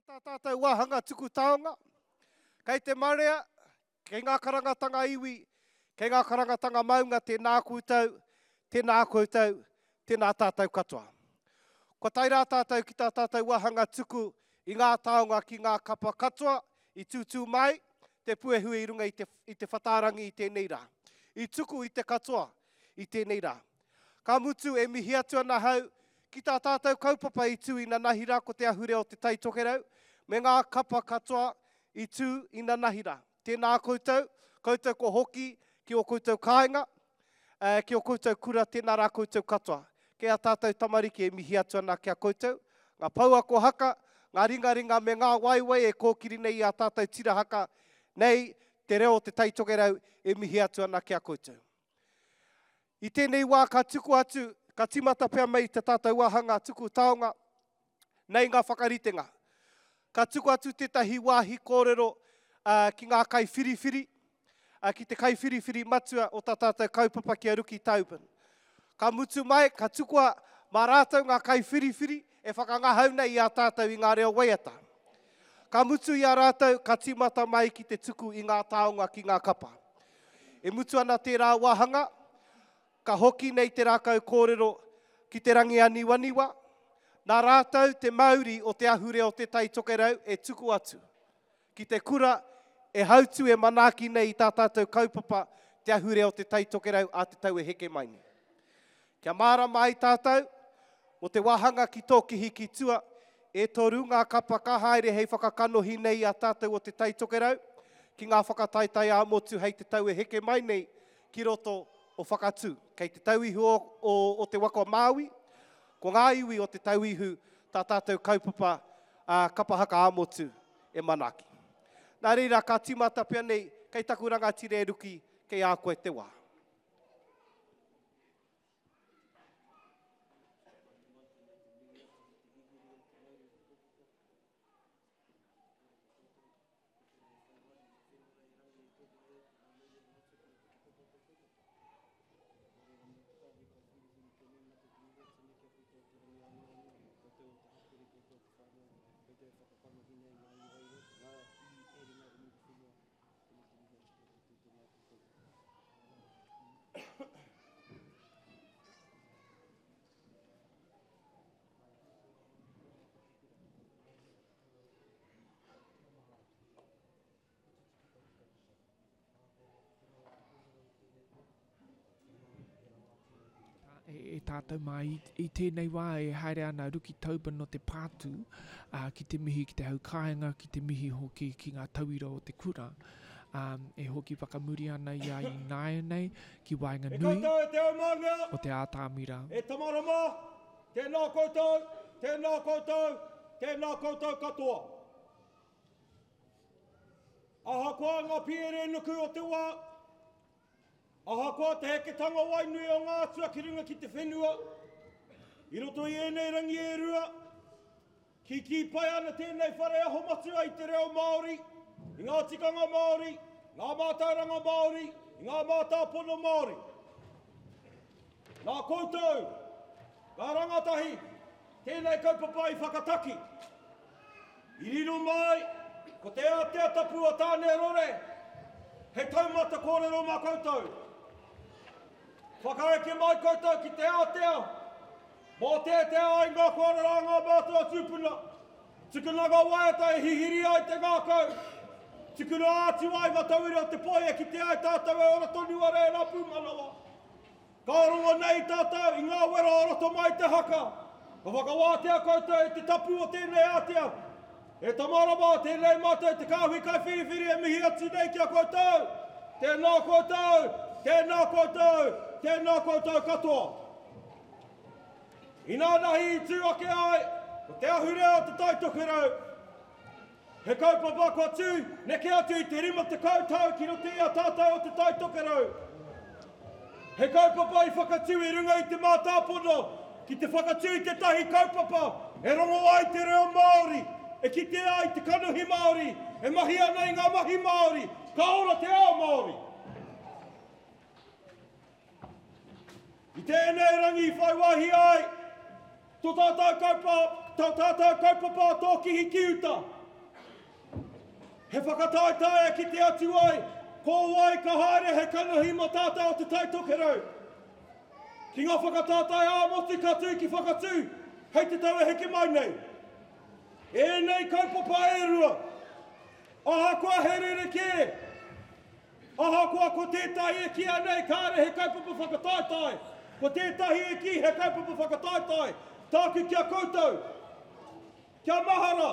Tā tātou wāhanga tuku taonga, kei te marea, kei ngā karangatanga iwi, kei ngā karangatanga maunga, tēnā koutou, tēnā koutou, tēnā tātou katoa. Kua tae rā tātou ki tā tātou wāhanga tuku i ngā taonga ki ngā kapa katoa i tūtū mai te puehu i runga i te, i te whatārangi i tēnei rā. I tuku i te katoa i tēnei rā. Ka mutu e mihi atu ana ahau ki tā tātou kaupapa i tū inanahi rā ko te ahurea o Te Tai Tokerau me ngā kapa katoa i tū inanahi rā. Tēnā koutou, koutou kua hoki ki ō koutou kāinga, ki ō koutou kura, tēnā rā koutou katoa. Kei a tātou tamariki e mihi atu ana ki a koutou, ngā pouako haka, ngā ringaringa me ngā waewae e kōkiri nei i ā tātou tira haka nei, te reo o Te Tai Tokerau e mihi atu ana ki a koutou. I tēnei wā ka tuku atu, ka tīmata pea mai te tātou wāhanga tuku taonga, nei ngā whakaritenga. Ka tuku atu tētahi wāhi kōrero ki ngā kaiwhiriwhiri, ki te kaiwhiriwhiri matua o tā tātou kaupapa ki a Ruki Tobin. Ka mutu mai, ka tukua mā rātou ngā kaiwhiriwhiri e whakangahau nei i a tātou i ngā reo waiata. Ka mutu i a rātou, ka tīmata mai ki te tuku i ngā taonga ki ngā kapa. E mutu ana tērā wāhanga, ka hoki nei te rākau kōrero ki te rangi aniwaniwa, nā rātou te mauri o te ahurea o Te Tai Tokerau e tuku atu ki te kura e hautū e manaaki nei i tā tātou kaupapa te ahurea o Te Tai Tokerau a te tau e heke mai nei. Kia mārama ai tātou, mō te wāhanga ki tōkihi ki tua, e toru ngā kapa ka haere hei whakakanohi nei i a tātou o Te Tai Tokerau ki ngā whakataetae ā-motu hei te tau e heke mai nei ki roto o Whakatū. Kei Te Tauihu o, o, o Te Waka o Māui, ko ngā iwi o Te Tauihu tā tātou kaupapa ā, kapa haka ā-motu e manaaki. Nā reira, ka tīmata pea nei, kei taku rangatira e Ruki, kei a koe te wā. E tātou mā i, i tēnei wā e haere ana Ruki Tobin o te Pātū ā, ki te mihi ki te hau kāinga, ki te mihi hoki ki ngā tauira o te kura. Ā, e hoki whakamuri ana ia ināianei ki E waenganui koutou e te aumangea, o te ātamira. e tamarama, tēnā koutou, tēnā koutou, tēnā koutou katoa. Ahakoa ngā piere nuku o te wā, ahakoa te heketanga wainui o ngā atua ki runga ki te whenua, i roto i ēnei rangi e rua, Kīkī pai ana tēnei whare aho matua i te reo Māori, i ngā tikanga Māori, ngā mātauranga Māori, i ngā mātāpono Māori. Nā koutou, ngā rangatahi, tēnei kaupapa i whakataki. I riro mai, ko te ātea tapu o Tāne Rore, he taumata kōrero mā koutou. Whakaeke mai koutou ki te ātea, Mōteatea ai ngā kōrero a ngā mātua tūpuna, tukuna ngā waiata e hihiri ai te ngākau, tukuna atu ai ngā tauira o te poi e kitea ai tātou e ora tonu ana e ngā pūmanawa. Ka rongo nei tātou i ngā wero o roto mai i te haka, ka whakawātea koutou i te tapu o tēnei ātea. E tama rawa, tēnei mātou te kāhui kaiwhiriwhiri e mihi atu nei ki a koutou. Tēnā koutou, tēnā koutou, tēnā koutou katoa. Inānahi i tū ake ai ko te ahurea o Te Tai Tokerau, he kaupapa kua tū neke atu i te 50 tau ki roto i a tātou o Te Tai Tokerau. He kaupapa i whakatū i runga i te mātāpono ki te whakatū i tētahi kaupapa e rongo ai te reo Māori, e kitea ai te kanohi Māori, e mahi ana i ngā mahi Māori, ka ora te ao Māori. I tēnei rangi i whai wāhi ai tō tātou kaupapa. tō tātou kaupapa o Tōkihi ki Uta. He whakataetae e kite atu ai ko wai ka haere hei kanohi mō tātou o Te Tai Tokerau. Ki ngā whakataetae ā-motu ka tū ki Whakatū hei te tau e heke mai nei. Ēnei kaupapa e rua, ahakoa he rerekē, ahakoa ko tētahi e kīia nei kāre he kaupapa whakataetae, ko tētahi e kī he kaupapa whakataetae, tāku ki a koutou, Kia mahara!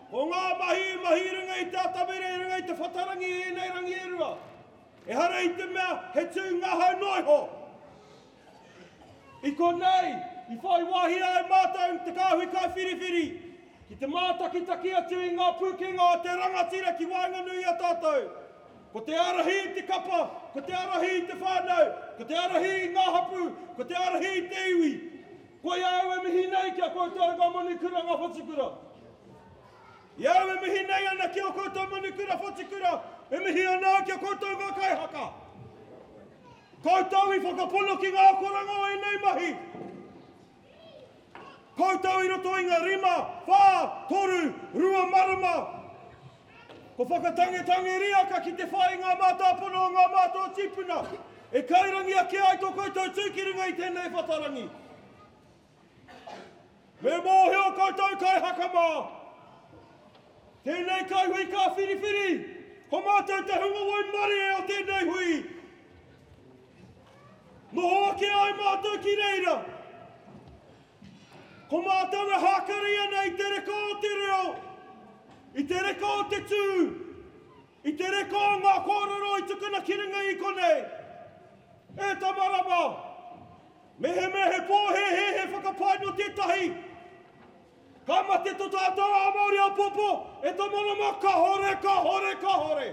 Ko ngā mahi i mahi i runga i te atamira, i runga i te whatarangi i ēnei rangi e rua, ehara i te mea he tū ngahau noa iho. I konei, i whai wāhi ai mātou te kāhui kaiwhiriwhiri ki te mātakitaki atu i ngā pūkenga o te rangatira ki waenganui i a tātou. Ko te ārahi i te kapa, ko te ārahi i te whānau, ko te ārahi i ngā hapū, ko te ārahi i te iwi. Koia au e mihi nei ki a koutou ngā manukura, ngā whatukura. I a au e mihi nei ana ki a koutou manukura, whatukura, e mihi ana au ki a koutou ngā kaihaka. Koutou i whakapono ki ngā akoranga o ēnei mahi. Koutou i roto i ngā rima, whā, toru, rua marama. Ko whakatangetange riaka ki te whai i ngā mātāpono o ngā mātua tīpuna, e kairangi ake ai tō koutou tū ki runga i tēnei whatarangi. Me mōhio koutou kaihaka mā, tēnei kaihui ka whiriwhiri, ko mātou te hunga waimarie o tēnei hui. Noho ake ai mātou ki reira. Ko mātou e hākari ana i te reka o te reo, i te reka o te tū, i te reka o ngā kōrero i tukuna ki runga i konei. E tama rama! Mehemea he pōhēhē, he whakapae nō tētahi, ka mate tō tātou ao Māori āpōpō, e tama rama, kahore, kahore, kahore!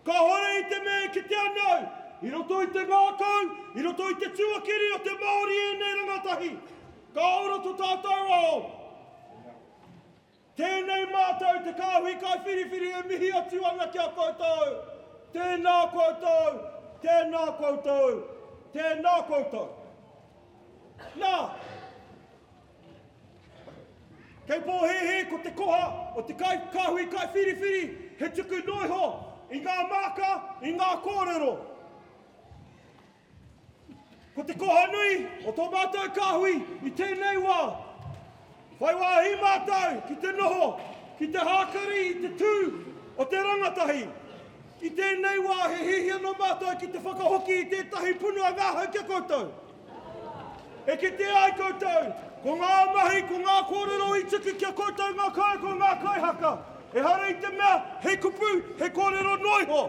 Kāhore i te mea e kite ana au, i roto i te ngākau, i roto i te tuakiri o te Māori ēnei rangatahi, ka ora to tātou ao. Tēnei mātou te kāhui kaiwhiriwhiri e mihi atu ana ki a koutou. Tēnā koutou, tēnā koutou, tēnā koutou. Nā, Kei pōhēhē ko te koha o te kai, kāhui kaiwhiriwhiri he tuku noa iho i ngā māka, i ngā kōrero. Ko te koha nui o tō mātou kāhui i tēnei wā, whai wāhi mātou ki te noho, ki te hākari i te tū o te rangatahi. I tēnei wā he hiahia nō mātou ki te whakahoki i tētahi punua ngahau ki a koutou. E kitea ai koutou, ko ngā mahi, ko ngā kōrero i tuku ki a koutou ngā kaiako, ngā kaihaka, ehara i te mea he kupu, he kōrero noa iho.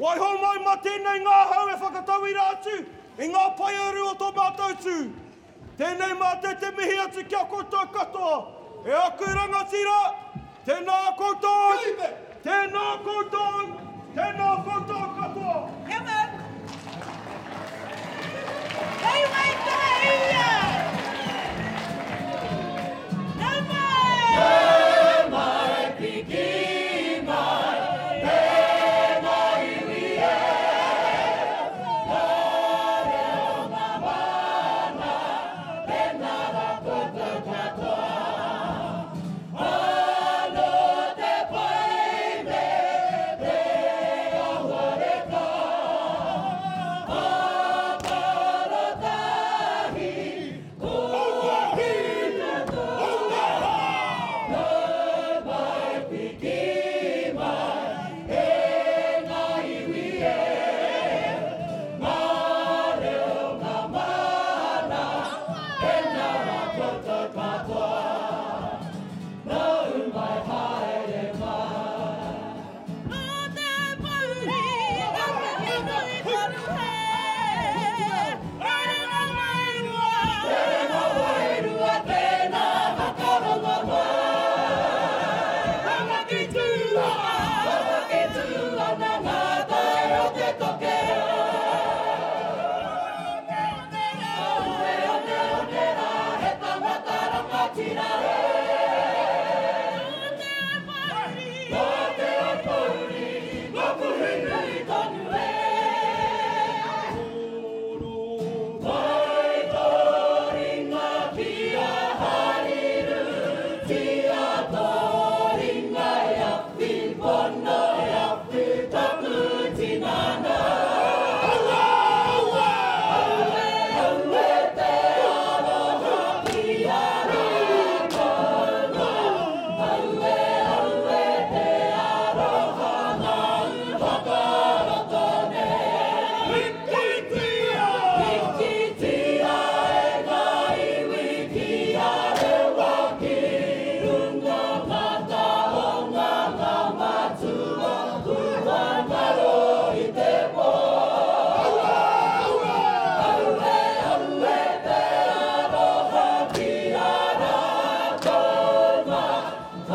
Waiho mai mā tēnei ngahau e whakatauira atu i ngā paearu o tō mātou tū. Tēnei mātou te mihi atu ki a koutou katoa, e aku rangatira, tēnā koutou, tēnā koutou, tēnā koutou katoa. Come on! Hei waitaha ia! Nau mai! Nau mai, piki mai, tēnā iwi e. Ngā reo, ngā mana, tēnā rā koutou katoa. Anō te pai me te awareka.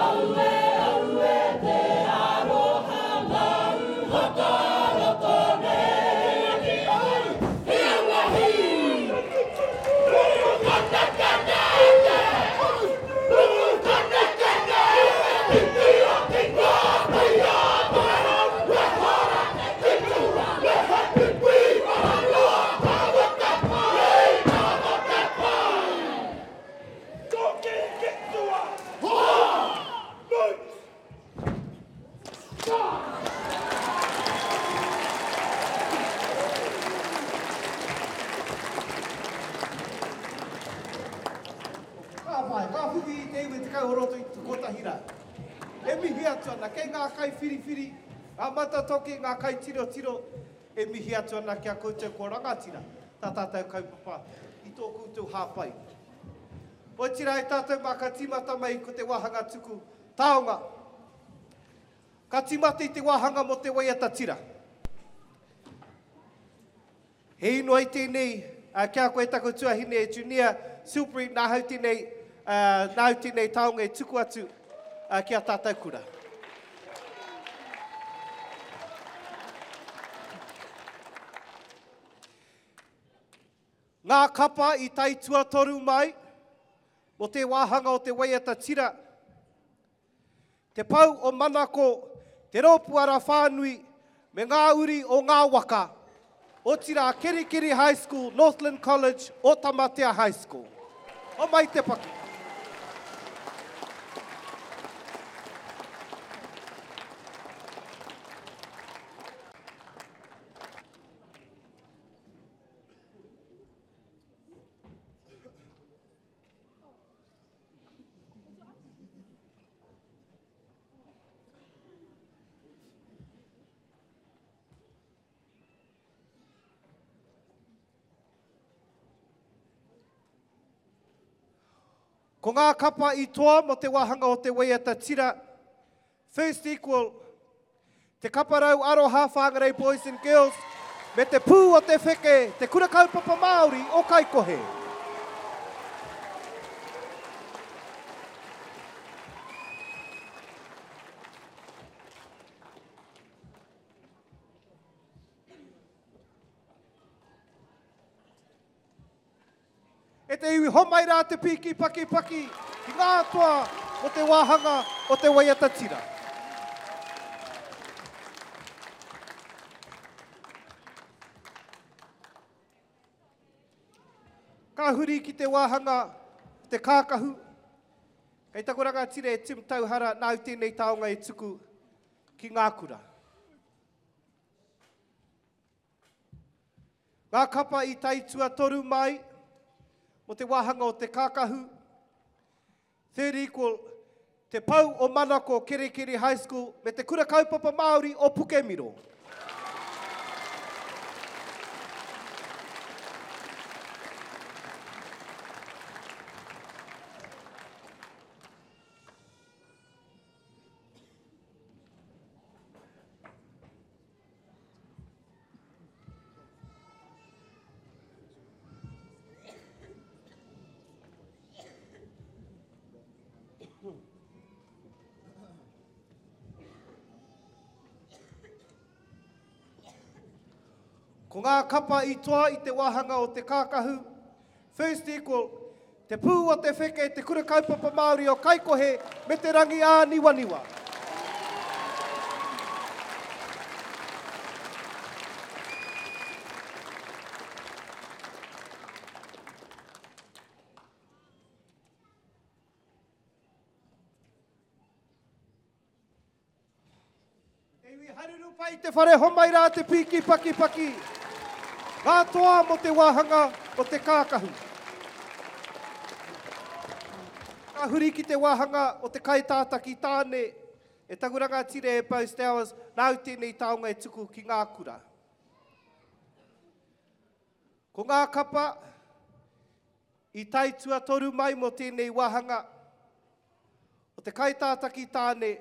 Aue, aue te aroha mau whakaroto nei. Hi aua hi! Ka pai, ka whiwhi i te iwi 10 o roto i te kotahi rā. E mihi atu ana kei ngā kaiwhiriwhiri, ngā matatoki, ngā kaitirotiro, e mihi atu ana ki a koutou ko rangatira tā tātou kaupapa i tō koutou hāpai. Otirā e tātou mā ka tīmata mai ko te wāhanga tuku taonga. Ka tīmata i te wāhanga mō te waiata tira. He inoi tēnei ki a koe taku tuahine e Junia Silbury, nāhau tēnei, nāu tēnei taonga e tuku atu ki a tātou kura. Ngā kapa i tae tuatoru mai mō te wāhanga o te waiata tira. Te Pou o Manako, Te Rōpū Ara Whānui me ngā uri o ngā waka, otirā Kerikeri High School, Northland College, Ōtamatea High School. Homai te paki. Ko ngā kapa i toa mō te wāhanga o te waiata tira, First Equal, Te Kaparau Aroha Whangarei Boys and Girls, me Te Pū o te Wheke, Te Kura Kaupapa Māori o Kaikohe. E te iwi, homai rā te pīki pakipaki ki ngā toa o te wāhanga o te waiata tira. Ka huri ki te wāhanga o te kākahu. Kei taku rangatira e Tim Tauhara, nāu tēnei taonga e tuku ki ngā kura. Ngā kapa i tae tuatoru mai mō te wāhanga o te kākahu, Third Equal, Te Pou o Manako Kerikeri High School me Te Kura Kaupapa Māori o Pukemiro. Ko ngā kapa i toa i te wāhanga o te kākahu, First Equal, Te Pū o te Wheke, Te Kura Kaupapa Māori o Kaikohe me Te Rangi Āniwaniwa. Te iwi haruru pai te whare homai rā te pīki pakipaki. Ngā toa mō te wāhanga o te kākahu. Ka huri ki te wāhanga o te kaitātaki tāne e taku rangatira e Beau Stowers, nāu tēnei taonga e tuku ki ngā kura. Ko ngā kapa i tae tuatoru mai mō tēnei wāhanga o te kaitātaki tāne,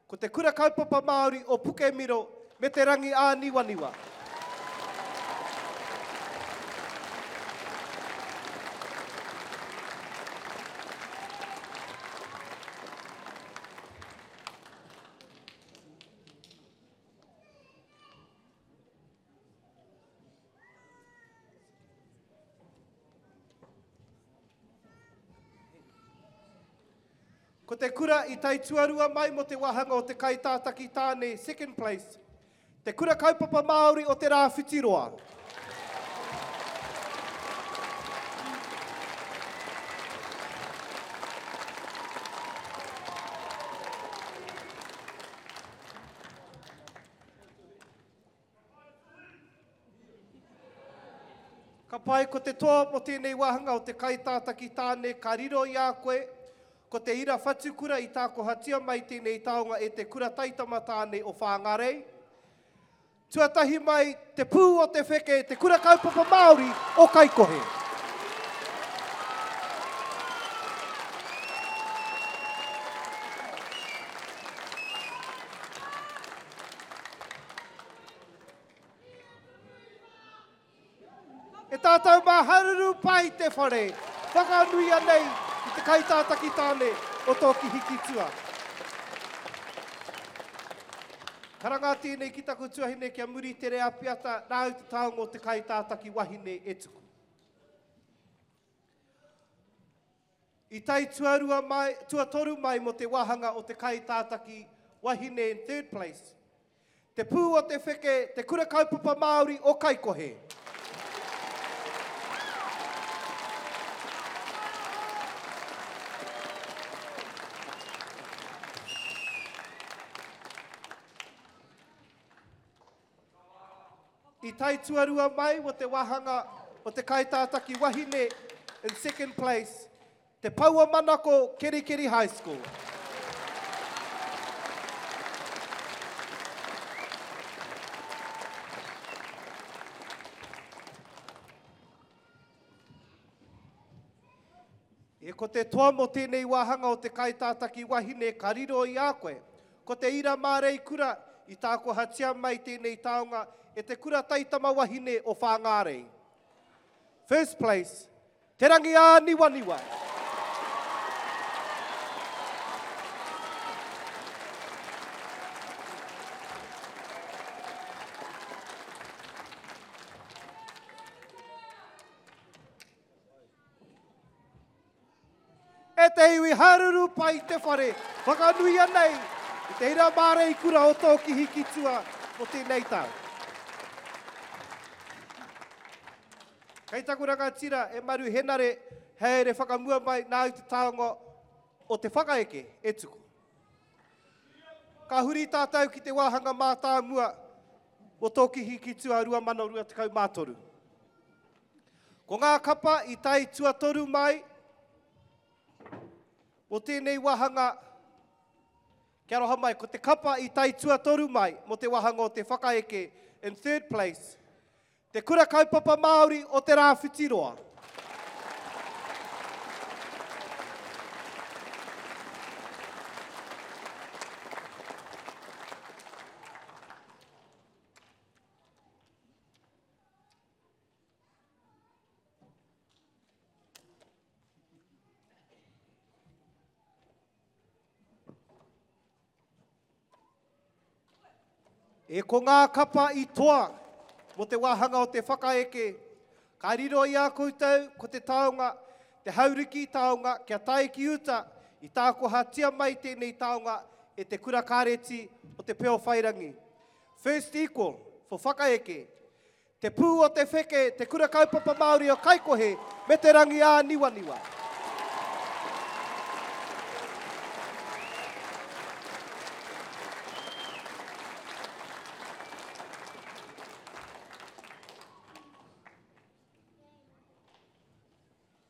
ko te Kura Kaupapa Māori o Pukemiro me Te Rangi Āniwaniwa. Ko te kura i tae tuarua mai mō te wāhanga o te kaitātaki tāne, second place, Te Kura Kaupapa Māori o Te Rāwhitiroa. Ka pai, ko te toa mō tēnei wāhanga o te kaitātaki tāne ka riro i a koe, ko te ira whatukura i tākohatia mai tēnei taonga e te kura taitama tāne o Whāngarei. Tuatahi mai, te pū o te wheke, te kura kaupapa Māori o Kaikohe. E tātou mā haruru pai te whare, whakanuia nei i te kaitātaki tāne o tō Kihikitua. Karanga tēnei ki taku tuahine kia muri tere apiata, nāu te taonga o te kaitātaki wahine e tuku. I tae tuarua mai, tuatoru mai mō te wāhanga o te kaitātaki wahine in third place, Te Pū o te Wheke, Te Kura Kaupapa Māori o Kaikohe. I tae tuarua mai mo te wahanga o te kaitātaki wahine in second place, Te Pou o Manako Kerikeri High School. E ko te toa mō tēnei wāhanga o te kaitātaki wahine ka riro i a koe. Ko te ira māreikura i tākohatia mai tēnei taonga e te kura taitama wahine o Whāngārei. First place, Te Rangiāniwaniwa. E te iwi haruru pai te whare, whakanuia nei i te ira māreikura o tō Kihikitua mo tēnei tau. Kei taku rangatira e Maru Henare haere whakamua mai nāu te taonga o te whakaeke e tuku. Ka huri tātou ki te wāhanga mātāmua o tō Kihikitua 2023. Ko ngā kapa i tae tuatoru mai mō tēnei wāhanga, kia aroha mai, ko te kapa i tae tuatoru mai mō te wāhanga o te whakaeke in third place, Te Kura Kaupapa Māori o Te Rāwhitiroa. E ko ngā kapa i toa mō te wāhanga o te whakaeke, ka riro i a koutou ko te taonga, te hauriki taonga kia tae ki uta i tākohatia mai tēnei taonga e te Kura Kāreti o Te Peowhairangi. First equal for whakaeke, Te Pū o te Wheke, Te Kura Kaupapa Māori o Kaikohe me Te Rangiāniwaniwa.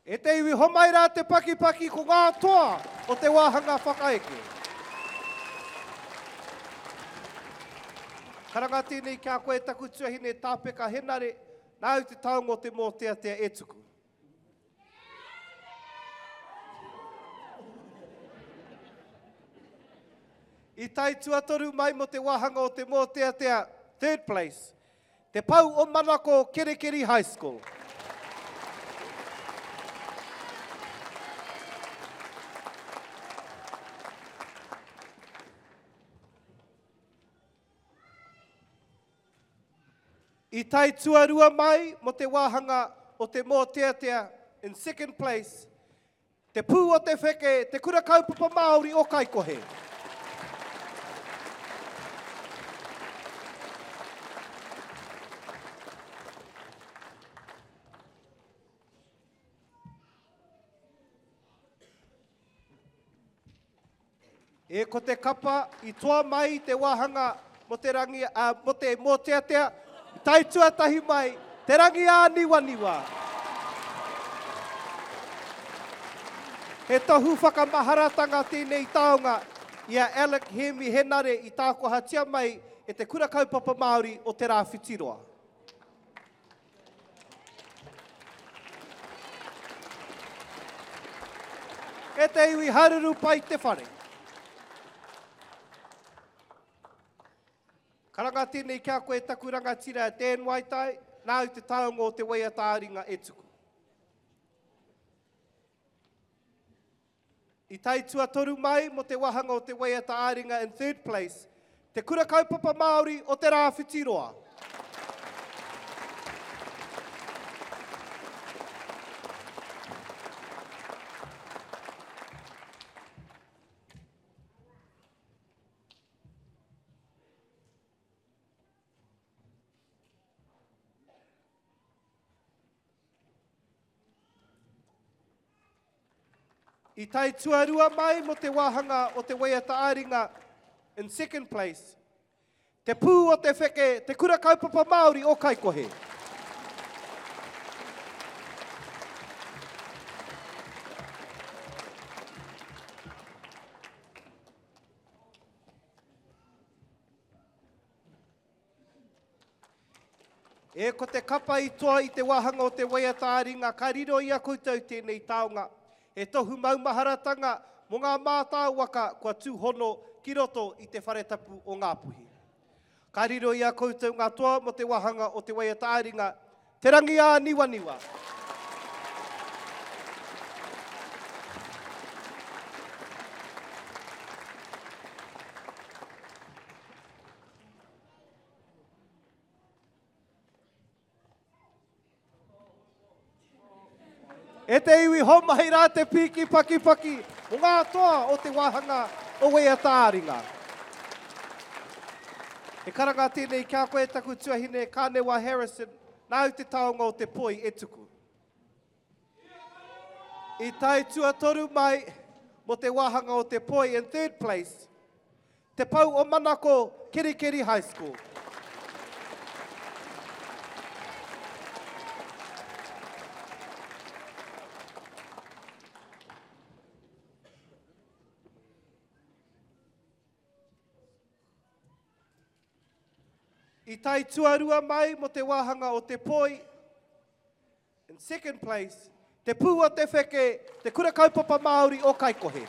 E te iwi homai rā te pakipaki ko ngā toa o te wāhanga whakaeke. Karanga tēnei ki a koe taku tuahine Tāpeka Henare, nāu te taonga o te mōteatea e tuku. I tae tuatoru mai mō te wāhanga o te mōteatea, third place, Te Pou o Manako Kerikeri High School. I tae tuarua mai mō te wāhanga o te mōteatea in second place, Te Pū o te Wheke, Te Kura Kaupapa Māori o Kaikohe. E ko te kapa i toa mai i te wāhanga mo te rangi, ā, mo te mōteatea, i tae tuatahi mai, Te Rangi Āniwaniwa. He tohu whakamaharatanga tēnei taonga i a Alec Hēmi Henare i tākohatia mai e te Kura Kaupapa Māori o Te Rāwhitiroa. E te iwi haruru pai te whare. Karanga tēnei ki a koe taku rangatira Dan Waitai, nāu te taonga o te waiata-ā-ringa e tuku. I tae tuatoru mai mō te wahanga o te waiata ā-ringa in third place, Te Kura Kaupapa Māori o Te Rāwhitiroa. I tae tuarua mai mō te wāhanga o te waiata ā-ringa in second place, Te Pū o te Wheke, Te Kura Kaupapa Māori o Kaikohe. E ko te kapa i toa i te wāhanga o te waiata ā-ringa ka riro i a koutou tēnei taonga. He tohu maumaharatanga mō ngā mātāwaka kua tūhono ki roto i te whare tapu o Ngāpuhi. Ka riro i a koutou ngā toa mō te wāhanga o te waiata ā-ringa, Te Rangi ā-Niwaniwa. E te iwi homai rā te pīki pakipaki o ngā toa o te wāhanga o Waiata-ā-ringa. He karanga tēnei ki a koe taku tuahine Kānewa Harrison, nāu te taonga o te poi e tuku. I tae tuatoru mai mō te wāhanga o te poi in third place, Te Pou o Manako, Kerikeri High School. I tae tuarua mai mō te wāhanga o te poi, In second place, Te Pū o Te Wheke, Te Kura Kaupapa Māori o Kaikohe.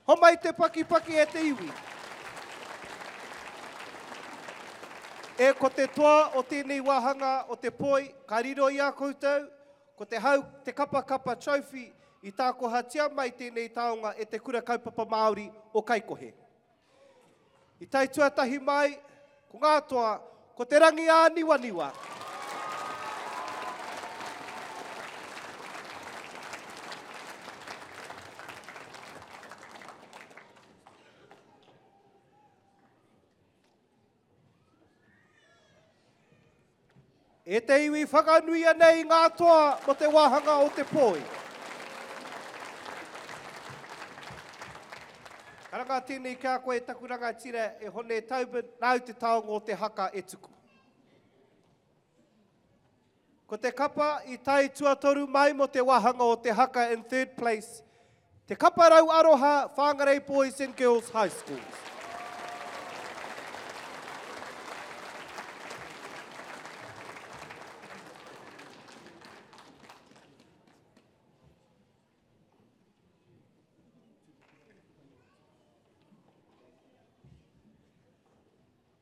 Homai te pakipaki e te iwi. E ko te toa o tēnei wāhanga o te poi, ka riro i a koutou, ko te hau, te kapakapa trophy i tākohatia mai tēnei taonga e te Kura Kaupapa Māori o Kaikohe. I tae tuatahi mai, ko ngā toa, ko Te Rangi-ā-niwaniwa. E te iwi whakanuia nei ngā toa mo te wāhanga o te poi. Karanga tēnei ki a koe taku rangatira e Hone Tobin, nāu te taonga o te haka e tuku. Ko te kapa i tae tuatoru mai mo te wāhanga o te haka in third place, Te Kapa Rau Aroha Whangarei Boys and Girls High Schools.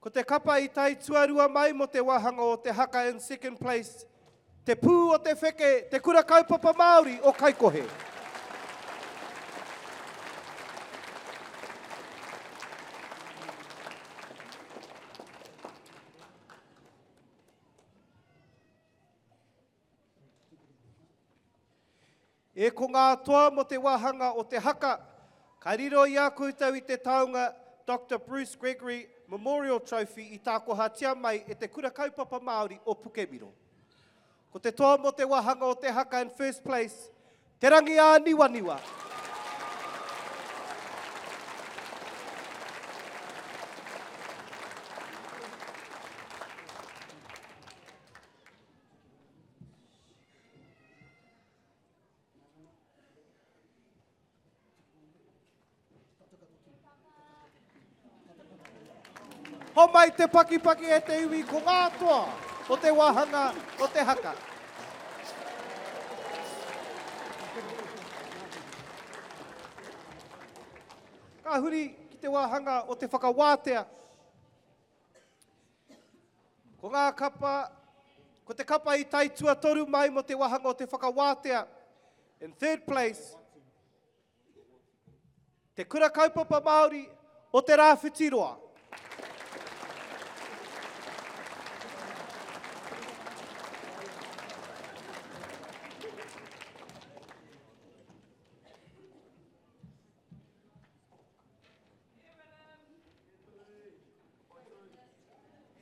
Ko te kapa i tae tuarua mai mō te wāhanga o te haka in second place, Te Pū o te Wheke, Te Kura Kaupapa Māori o Kaikohe. E ko ngā toa mō te wāhanga o te haka, ka riro i a koutou i te taonga Doctor Bruce Gregory Memorial Trophy i tākohatia mai e te Kura Kaupapa Māori o Pukemiro. Ko te toa mō te wāhanga o te haka in first place, Te Rangiāniwaniwa. Homai te pakipaki e te iwi ko ngā toa o te wāhanga o te haka. Ka huri ki te wāhanga o te whakawātea. Ko ngā kapa, ko te kapa i tae tuatoru mai mō te wāhanga o te whakawātea. In third place, Te Kura Kaupapa Māori o Te Rāwhitiroa.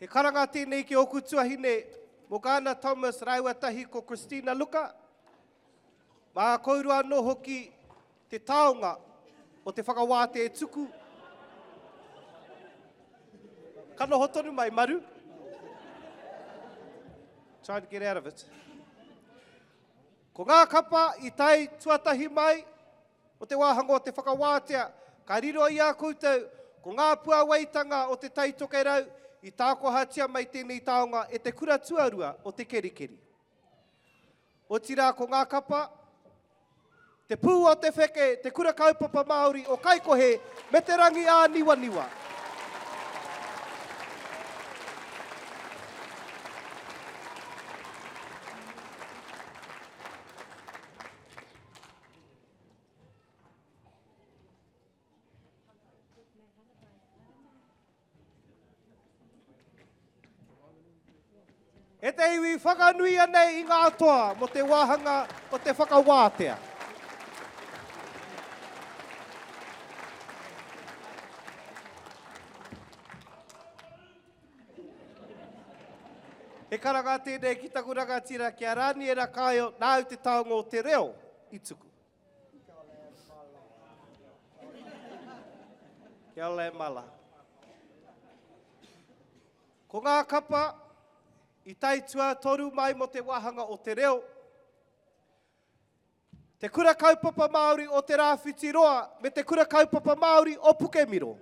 He karanga tēnei ki ōku tuahine, Morgana Thomas rāua tahi ko Christina Luka. Mā kourua anō hoki te taonga o te whakawātea e tuku. Ka noho tonu mai, Maru. Trying to get out of it. Ko ngā kapa i tae tuatahi mai, o te wāhanga o te whakawātea, ka riro i a koutou ko ngā puawaitanga o Te Tai Tokerau i tākohatia mai tēnei taonga e te kura tuarua o Te Kerikeri. Otirā ko ngā kapa, Te Pū o Te Wheke, Te Kura Kaupapa Māori o Kaikohe me Te Rangi Āniwaniwa. E te iwi whakanuia nei i ngā toa mō te wāhanga o te whakawātea. He karanga tēnei ki taku rangatira ki a Raniera Kaio, nāu te taonga o te reo i tuku. Kia ora e mala. Ko ngā kapa i tae tuatoru mai mō te wāhanga o te reo, Te Kura Kaupapa Māori o Te Rāwhiti Roa me Te Kura Kaupapa Māori o Pukemiro.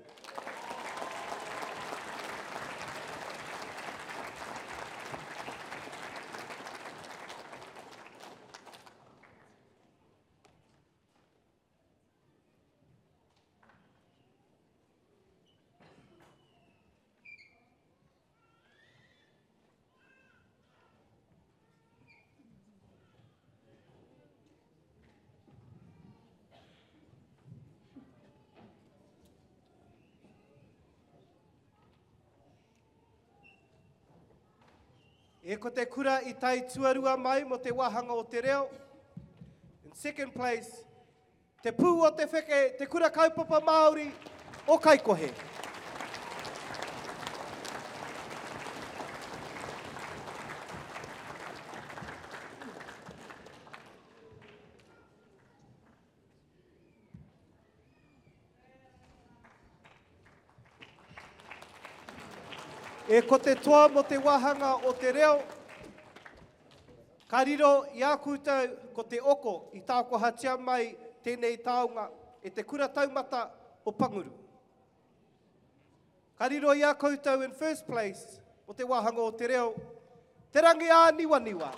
E ko te kura i tae tuarua mai mo te wāhanga o te reo. In second place, Te Pū o te Wheke, Te Kura Kaupapa Māori o Kaikohe. E ko te toa mo te wāhanga o te reo, ka riro i a koutou ko te oko i tākohatia mai tēnei taonga e te kura taumata o Panguru. Ka riro i a koutou in first place mo te wāhanga o te reo, Te Rangi Āniwaniwa.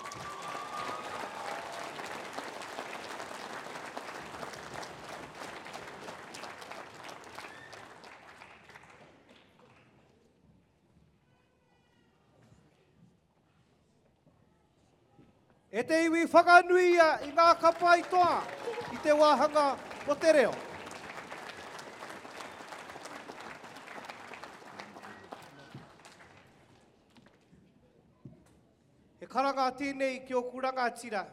E te iwi whakanuia i ngā kapa i toa i te wāhanga o te reo. He karanga tēnei ki ōku rangatira.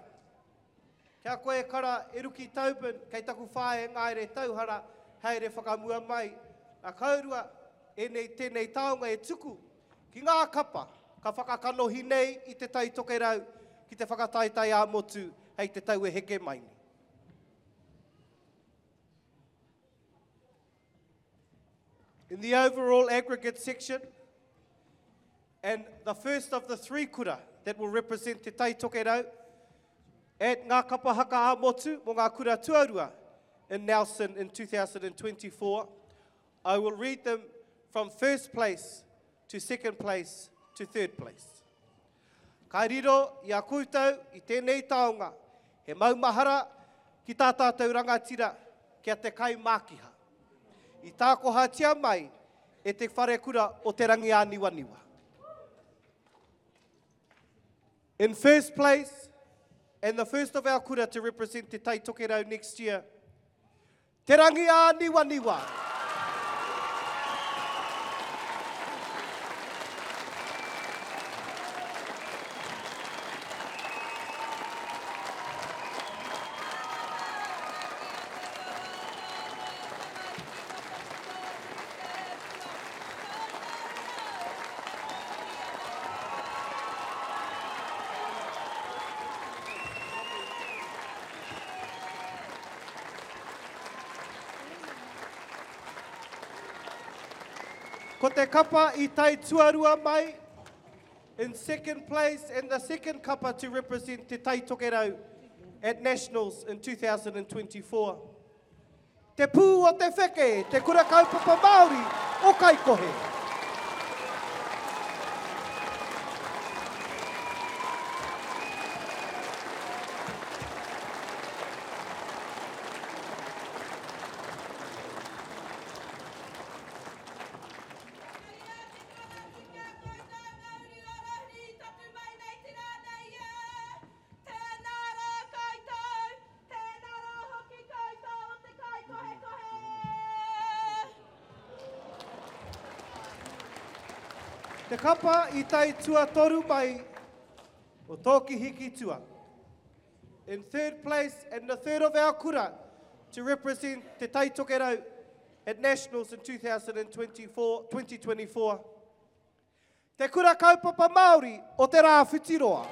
Kia koe e kara, e Ruki Tobin, kei taku whaea Ngaere Tauhara, haere whakamua mai. Na kaurua enei tenei taonga e tuku ki ngā kapa ka whakakanohi nei i Te Tai Tokerau ki te whakataetae ā-motu hei te tau e heke mai nei. In the overall aggregate section, and the first of the three kura that will represent Te Tai Tokerau at Ngā Kapa Haka ā-Motu mō ngā kura tuarua in Nelson in 2024, I will read them from first place to second place to third place. Ka riro i a koutou i tēnei taonga he maumahara ki tā tātou rangatira ki a Te Kai Mākiha. I tākohatia mai e te wharekura o Te Rangiāniwaniwa. In first place, and the first of our kura to represent Te Tai Tokerau next year, Te Rangiāniwaniwa. Ko te kapa i tae tuarua mai, in second place and the second kapa to represent Te Tai Tokerau at Nationals in 2024. Te Pū o te Wheke, Te Kura Kaupapa Māori o Kaikohe. Tēnā rā koutou, tēnā rā hoki koutou o te kaikohekohe! Te kapa i tae tuatoru mai o Tōki Hikitua. In third place and the third of our kura to represent Te Tai Tokerau at Nationals in 2024, 2024. Te Kura Kaupapa Māori o Te Rāwhitiroa.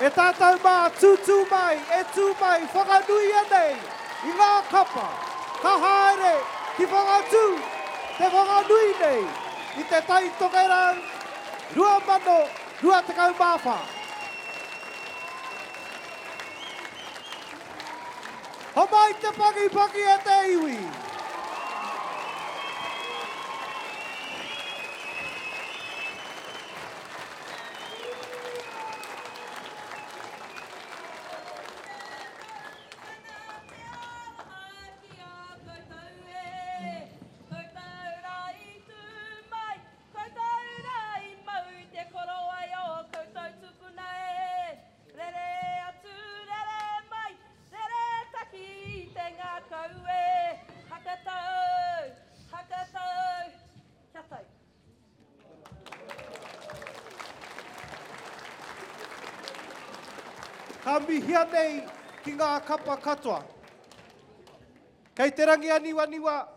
E tātou mā, tūtū mai, e tū mai, whakanuia nei i ngā kapa, ka haere ki Whangatū te whanganui nei i Te Tai Tokerau 2024. Homai te pangipaki e te iwi! Rere atu, rere mai, rere taki i te ngākau e. Hakatau, hakatau, kia tau. Ka mihia nei ki ngā kapa katoa. Kei te rangi aniwaniwa,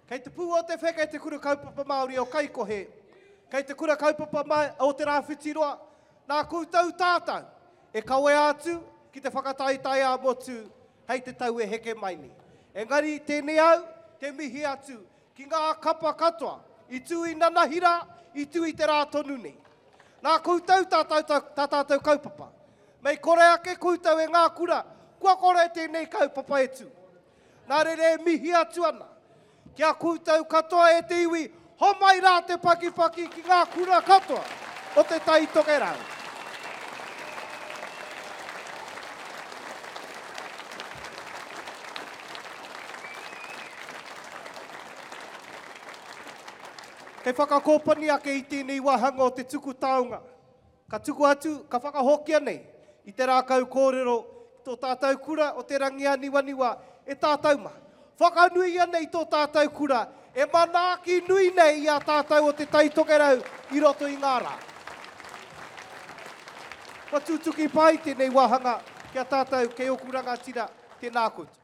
kei te pū o te whe, kei te kura kaupapa Māori o Kaikohe, kei te kura kaupapa o Te Rāwhitiroa, Nā koutou tātou e kawea atu ki te whakataetae ā-motu hei te tau e heke mai nei. Engari tēnei au te mihi atu ki ngā kapa katoa i tū i nanahira, i tū i te rā tonu nei. Nā koutou tā tā tātou kaupapa. Mei kore ake koutou e ngā kura, kua kore tēnei kaupapa e tū. Nā reira e mihi atu ana ki a koutou katoa e te iwi, homai rā te pakipaki ki ngā kura katoa o Te Tai Tokerau. Kei whakakōpani ake i tēnei wāhanga o te tuku taonga. Ka tuku atu, ka whakahokia nei i te rākau kōrero ki tō tātou kura o Te Rangiāniwaniwa e tātou mā. Whakanuia nei tō tātou kura e manaaki nui nei i a tātou o Te Tai Tokerau i roto i ngā rā. Kua tutuki pai tēnei wāhanga ki a tātou kei ōku rangatira, tēnā koutou.